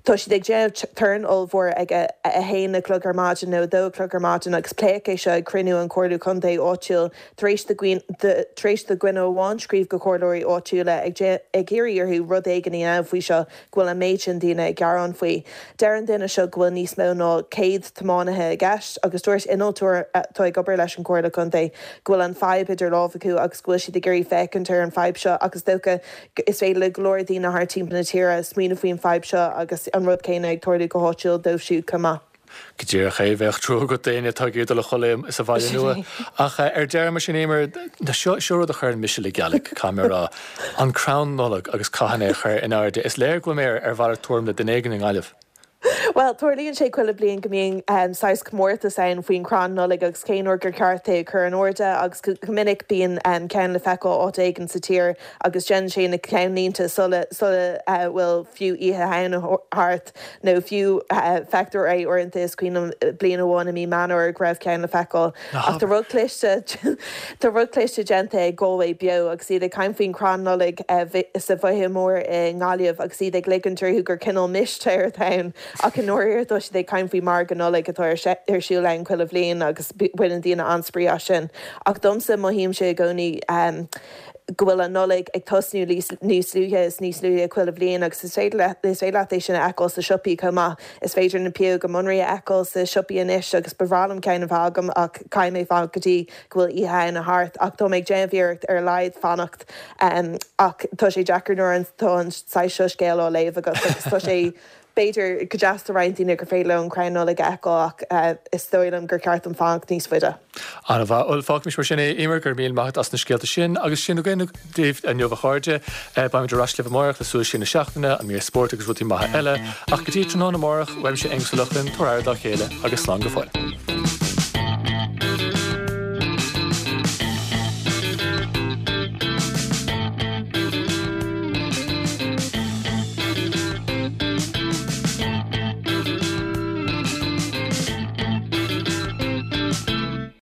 Tá siad ag déanamh torann ollmhór ag a a haon a chlog ar maidin nó a dó a chlog ar maidin agus pléadh é seo ag cruinniú an Chomhairle Contae áitiúil tar éis do tar éis do dhuine amháin scríobh go comhairleoirí áitiúla ag ag iarraidh orthu rud éigin a dhéanamh faoi seo go bhfuil an méid sin daoine ag gearán faoi. Deir an duine seo go bhfuil níos mó ná céad tiománaithe i gceist agus dúirt innealtóir atá ag obair leis an Chomhairle Contae go bhfuil an fadhb idir lámha acu agus go bhfuil siad ag iarraidh féachaint ar an fadhb seo ach is dócha is féidir le go leor daoine thar timpeall na tíre smaoineamh faoin fadhb seo agus an rud céanna ag tarlú go háitiúil dóibh siúd chomh maith. Go díreach é, bheadh trua agat d'éinne atá ag iarraidh dul a chodladh sa Bhaile Nua. Ach ar deireadh, mar sin, Eimear, seo seo rud a chuireann mise le gealaigh, caithfidh mé a rá. An crann Nollag agus cathain é a chur in airde. Is léir go bhfuil mé ar mhalairt tuairim le duine éigin i nGaillimh. Bhuel, tarlaíonn sé chuile bliain go mbíonn saghas comórtas ann faoin chrann Nollag agus cén uair gur ceart é a chur in airde agus go minic bíonn ceann le feiceáil áit éigin sa tír agus déanann sé na ceannlínte sula sula bhfuil fiú Oíche Shamhna thart nó fiú feictear é uaireanta is cuimhin liom bliain amháin i mí Meán Fómhair go raibh ceann le feiceáil ach tá rud cliste tá rud cliste déanta ag Galway Beo agus iad ag caint faoin chrann Nollag sa bhFaiche Mhór i nGaillimh agus iad ag ligint orthu gur cineál mistéir atá ann. Ach i ndáiríre tá siad ag caint faoi margadh Nollag atá ar siúl ann chuile bhliain agus baineann daoine an-spraoi as sin. Ach domsa, mothaímse i gcónaí go bhfuil an Nollaig ag tosnú níos luaithe is níos luaithe chuile bhliain agus is féidir is féidir leat é sin a fheiceáil sa siopaí chomh maith. Is féidir na pióga munraí a fheiceáil sa siopaí anois agus ba bhreá liom ceann a bheith agam ach caithfidh mé fanacht go dtí go bhfuil Oíche Shamhna thart. Ach tá mé ag déanamh iarracht ar a laghad fanacht ach tá sé deacair nuair atá an saghas seo scéal á léamh agat agus tá sé B'fhéidir go deas do roinnt daoine gur féidir leo an crann Nollag a fheiceáil ach is dóigh liom gur ceart dom fanacht níos faide. An-mhaith. Bhuel, fágfaimis mar sin é, Eimear, go raibh míle maith agat as na scéalta sin. Agus sin againn daoibh inniu, a chairde. Beimid ar ais libh amárach le Súil Siar na Seachtaine, an mír spóirt agus rudaí maithe eile. Ach go dtí tráthnóna amárach, uaimse Aonghus Ó Lochlainn, tabhair aire dá chéile agus slán go fóill.